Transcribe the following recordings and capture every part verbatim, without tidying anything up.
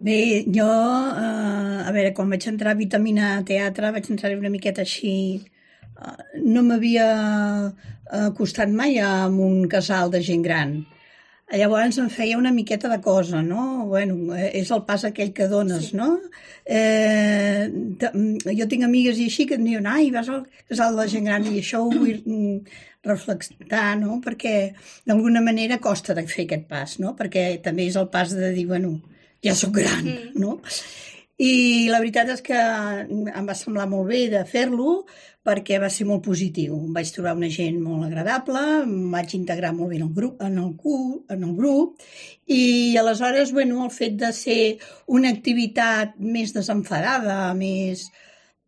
Bé, jo, eh, a veure, quan vaig entrar a Vitamina Teatre, vaig entrar una miqueta així. eh, No m'havia eh, costat mai amb un casal de gent gran. Llavors em feia una miqueta de cosa, no? Bueno, eh, és el pas aquell que dones, Sí. no? Eh, t- mm, jo tinc amigues i així que em diuen, ai, vas al casal de la gent gran, i això ho vull mm, reflectar, no? Perquè d'alguna manera costa de fer aquest pas, no? Perquè també és el pas de dir, bueno, ja sóc gran, Mm. no? I la veritat és que em va semblar molt bé de fer-lo perquè va ser molt positiu. Em vaig trobar una gent molt agradable, em vaig integrar molt bé en el grup, en el, cu, en el grup i aleshores, bueno, el fet de ser una activitat més desenfadada, més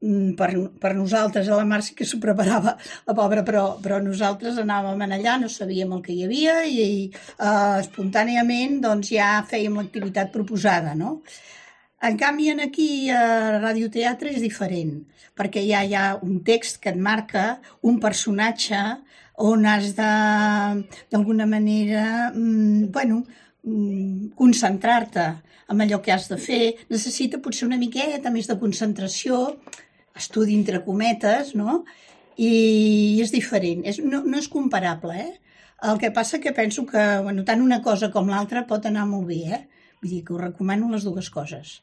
mm, per, per nosaltres, a la Mar sí que s'ho preparava la pobra, però, però nosaltres anàvem allà, no sabíem el que hi havia i, i eh, espontàniament doncs, ja fèiem l'activitat proposada, no? En canvi, en aquí a radioteatre és diferent, perquè ja hi ha un text que et marca un personatge on has de, d'alguna manera, mm, bueno, mm, concentrar-te en allò que has de fer. Necessita potser una miqueta més de concentració, estudi entre cometes, no? I és diferent, és, no, no és comparable, eh? El que passa que penso que, bueno, tant una cosa com l'altra pot anar molt bé, eh? Vull dir que us recomano les dues coses.